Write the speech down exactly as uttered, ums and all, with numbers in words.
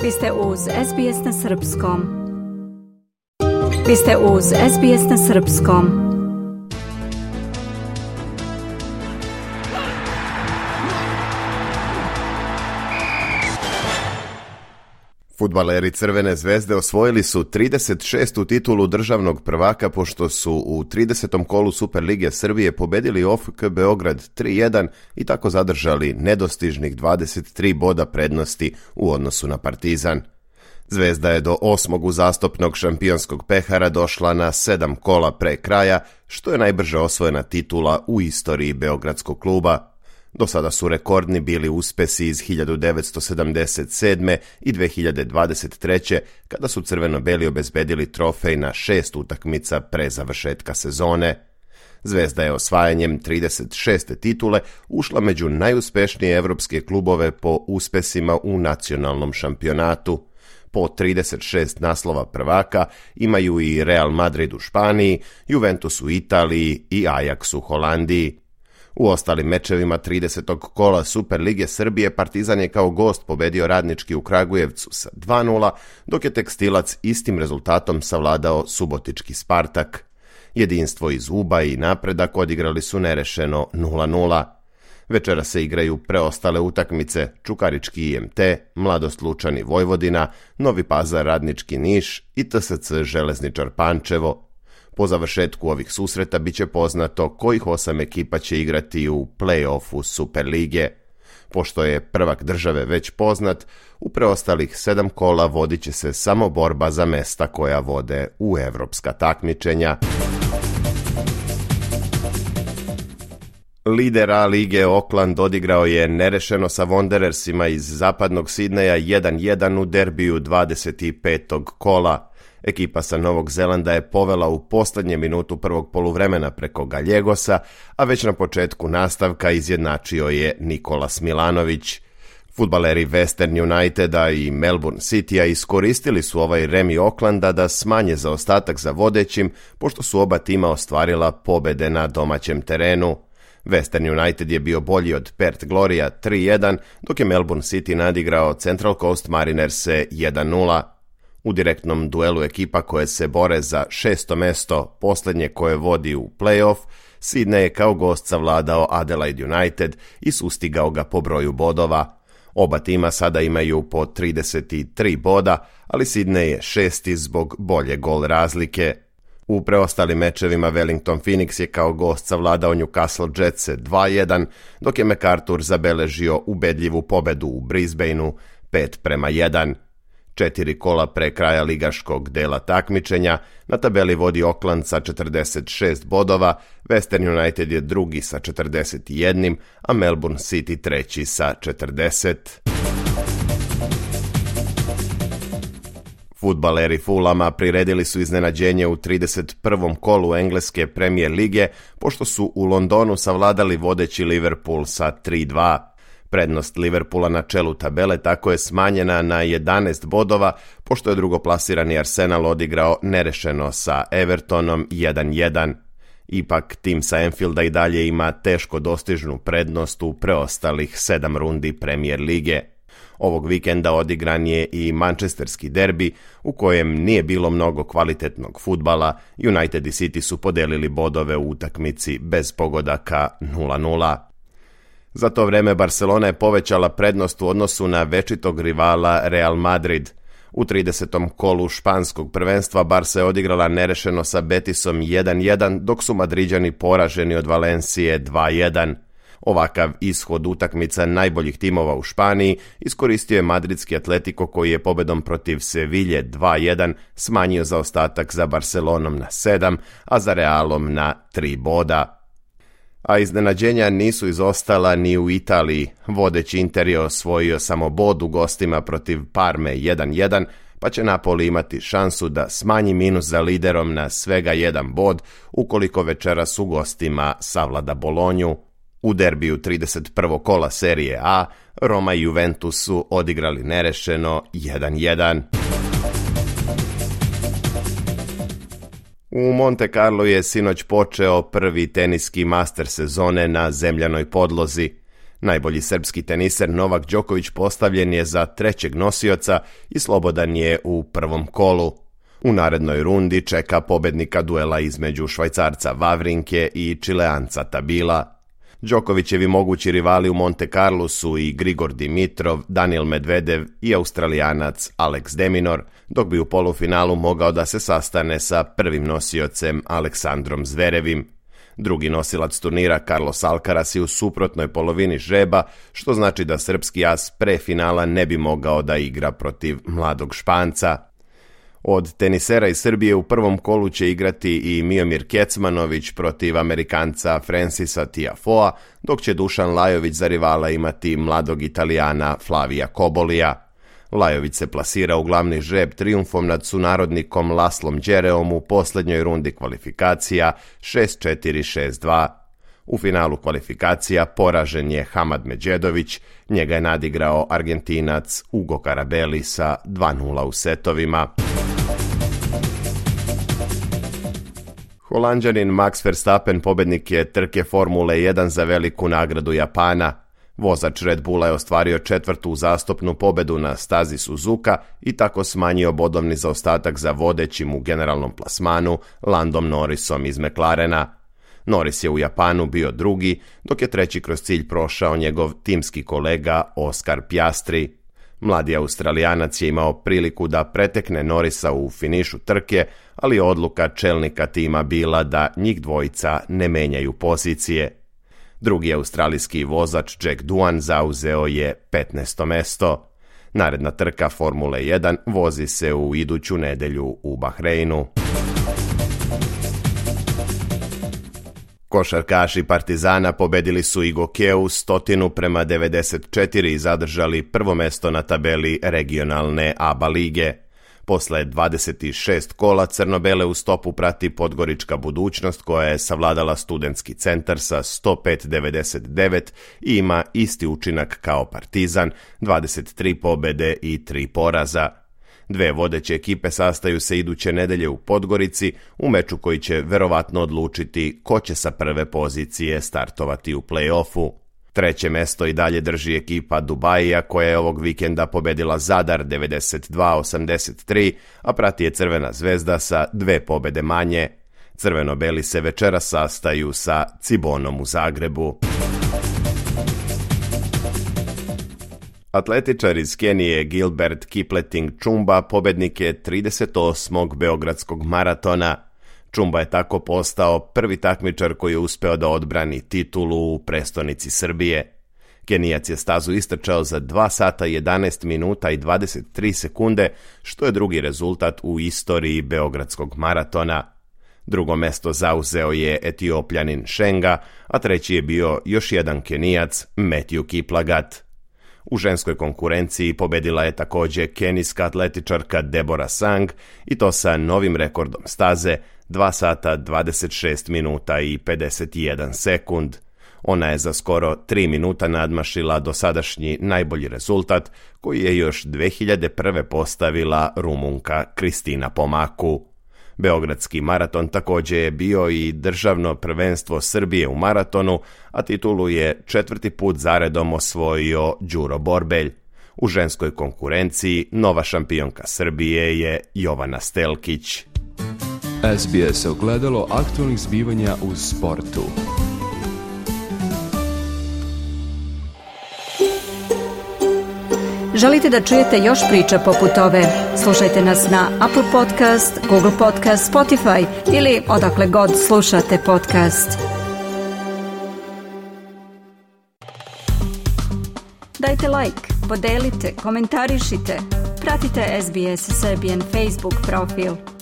Vi ste uz S B S na Srpskom. Vi ste uz S B S na Srpskom. Fudbaleri Crvene zvezde osvojili su trideset šestu titulu državnog prvaka pošto su u tridesetom kolu Superlige Srbije pobedili O F K Beograd tri jedan i tako zadržali nedostižnih dvadeset tri boda prednosti u odnosu na Partizan. Zvezda je do osmog uzastopnog šampionskog pehara došla na sedam kola pre kraja, što je najbrže osvojena titula u istoriji beogradskog kluba. Do sada su rekordni bili uspesi iz hiljadu devetsto sedamdeset sedme. i dve hiljade dvadeset treće. kada su crveno-beli obezbedili trofej na šest utakmica pre završetka sezone. Zvezda je osvajanjem trideset šeste titule ušla među najuspešnije evropske klubove po uspesima u nacionalnom šampionatu. Po trideset šest naslova prvaka imaju i Real Madrid u Španiji, Juventus u Italiji i Ajax u Holandiji. U ostalim mečevima tridesetog kola Superlige Srbije Partizan je kao gost pobedio Radnički u Kragujevcu sa dva nula, dok je Tekstilac istim rezultatom savladao Subotički Spartak. Jedinstvo iz Uba i Napredak odigrali su nerešeno nula nula. Večera se igraju preostale utakmice: Čukarički I M T, Mladost Lučani Vojvodina, Novi Pazar Radnički Niš i T S C Železničar Pančevo. Po završetku ovih susreta biće poznato kojih osam ekipa će igrati u play-offu Superlige. Pošto je prvak države već poznat, u preostalih sedam kola vodit će se samo borba za mesta koja vode u evropska takmičenja. Lider A lige Auckland odigrao je nerešeno sa Wanderersima iz zapadnog Sidneja jedan jedan u derbiju dvadeset petog kola. Ekipa sa Novog Zelanda je povela u poslednje minutu prvog poluvremena preko Galjegosa, a već na početku nastavka izjednačio je Nikolas Milanović. Fudbaleri Western Uniteda i Melbourne Citya iskoristili su ovaj remi Aucklanda da smanje zaostatak za vodećim, pošto su oba tima ostvarila pobede na domaćem terenu. Western United je bio bolji od Perth Gloria tri jedan, dok je Melbourne City nadigrao Central Coast Marinerse jedan nula. U direktnom duelu ekipa koje se bore za šesto mesto, posljednje koje vodi u play-off, Sydney je kao gost savladao Adelaide United i sustigao ga po broju bodova. Oba tima sada imaju po trideset tri boda, ali Sydney je šesti zbog bolje gol razlike. U preostalim mečevima Wellington Phoenix je kao gost savladao Newcastle Jetse dva jedan, dok je MacArthur zabeležio ubedljivu pobedu u Brisbaneu pet prema jedan. Četiri kola pre kraja ligaškog dela takmičenja na tabeli vodi Auckland sa četrdeset šest bodova, Western United je drugi sa četrdeset jedan, a Melbourne City treći sa četrdeset. Fudbaleri Fulhama priredili su iznenađenje u trideset prvom kolu engleske Premier lige, pošto su u Londonu savladali vodeći Liverpool sa tri dva. Prednost Liverpoola na čelu tabele tako je smanjena na jedanaest bodova, pošto je drugoplasirani Arsenal odigrao nerešeno sa Evertonom jedan jedan. Ipak, tim sa Anfielda i dalje ima teško dostižnu prednost u preostalih sedam rundi Premier lige. Ovog vikenda odigran je i manchesterski derbi, u kojem nije bilo mnogo kvalitetnog fudbala. United i City su podelili bodove u utakmici bez pogodaka nula nula. Za to vreme Barcelona je povećala prednost u odnosu na večitog rivala Real Madrid. U tridesetom kolu španskog prvenstva Barca je odigrala nerešeno sa Betisom jedan jedan, dok su Madriđani poraženi od Valencije dva jedan. Ovakav ishod utakmica najboljih timova u Španiji iskoristio je madridski Atletico, koji je pobedom protiv Sevilje dva jedan smanjio zaostatak za Barcelonom na sedam, a za Realom na tri boda. A iznenađenja nisu izostala ni u Italiji. Vodeći Inter je osvojio samo bod u gostima protiv Parme jedan jedan, pa će Napoli imati šansu da smanji minus za liderom na svega jedan bod ukoliko večeras u gostima savlada Bolonju. U derbiju trideset prvog kola serije A, Roma i Juventus su odigrali nerešeno jedan jedan. U Monte Carlo je sinoć počeo prvi teniski master sezone na zemljanoj podlozi. Najbolji srpski teniser Novak Đoković postavljen je za trećeg nosioca i slobodan je u prvom kolu. U narednoj rundi čeka pobednika duela između Švajcarca Vavrinke i Čileanca Tabila. Đokovićevi mogući rivali u Monte Carlu su i Grigor Dimitrov, Daniil Medvedev i Australijanac Alex de Minaur, dok bi u polufinalu mogao da se sastane sa prvim nosiocem Aleksandrom Zverevim. Drugi nosilac turnira Carlos Alcaraz je u suprotnoj polovini žreba, što znači da srpski as pre finala ne bi mogao da igra protiv mladog Španca. Od tenisera iz Srbije u prvom kolu će igrati i Miomir Kecmanović protiv Amerikanca Francisa Tiafoea, dok će Dušan Lajović za rivala imati mladog Italijana Flavija Kobolija. Lajović se plasira u glavni žreb trijumfom nad sunarodnikom Laslom Đereom u posljednjoj rundi kvalifikacija šest četiri šest dva. U finalu kvalifikacija poražen je Hamad Međedović, njega je nadigrao Argentinac Ugo Carabelli sa dva nula u setovima. Holanđanin Max Verstappen pobednik je trke Formule jedan za veliku nagradu Japana. Vozač Red Bulla je ostvario četvrtu uzastopnu pobedu na stazi Suzuka i tako smanjio bodovni zaostatak za vodećim u generalnom plasmanu Landom Norrisom iz McLarena. Norris je u Japanu bio drugi, dok je treći kroz cilj prošao njegov timski kolega Oscar Piastri. Mladi Australijanac je imao priliku da pretekne Norrisa u finišu trke, ali odluka čelnika tima bila da njih dvojica ne menjaju pozicije. Drugi australijski vozač Jack Doohan zauzeo je petnaesto mesto. Naredna trka Formule jedan vozi se u iduću nedelju u Bahreinu. Košarkaši Partizana pobedili su i Gokeu stotinu prema devedeset četiri i zadržali prvo mesto na tabeli regionalne A B A lige. Posle dvadeset šest kola crno-bele u stopu prati Podgorička Budućnost koja je savladala Studentski centar sa sto pet devedeset devet i ima isti učinak kao Partizan, dvadeset tri pobede i tri poraza. Dve vodeće ekipe sastaju se iduće nedelje u Podgorici u meču koji će verovatno odlučiti ko će sa prve pozicije startovati u play-offu. Treće mesto i dalje drži ekipa Dubajija koja je ovog vikenda pobedila Zadar devedeset dva osamdeset tri, a prati je Crvena zvezda sa dve pobede manje. Crveno-beli se večera sastaju sa Cibonom u Zagrebu. Atletičar iz Kenije Gilbert Kipleting Chumba pobednik je trideset osmog beogradskog maratona. Chumba je tako postao prvi takmičar koji je uspeo da odbrani titulu u prestonici Srbije. Kenijac je stazu istrčao za dva sata jedanaest minuta i dvadeset tri sekunde, što je drugi rezultat u istoriji beogradskog maratona. Drugo mesto zauzeo je Etiopljanin Šenga, a treći je bio još jedan Kenijac, Matthew Kiplagat. U ženskoj konkurenciji pobedila je također kenijska atletičarka Deborah Sang i to sa novim rekordom staze dva sata dvadeset šest minuta i pedeset jedan sekund. Ona je za skoro tri minuta nadmašila dosadašnji najbolji rezultat koji je još dve hiljade prve postavila Rumunka Kristina Pomaku. Beogradski maraton također je bio i državno prvenstvo Srbije u maratonu, a titulu je četvrti put zaredom osvojio Đuro Borbelj. U ženskoj konkurenciji nova šampionka Srbije je Jovana Stelkić. S B S ogledalo aktualnih zbivanja u sportu. Želite da čujete još priča poput ove? Slušajte nas na Apple Podcast, Google Podcast, Spotify ili odakle god slušate podcast. Dajte like, podelite, komentarišite. Pratite S B S Serbian Facebook profil.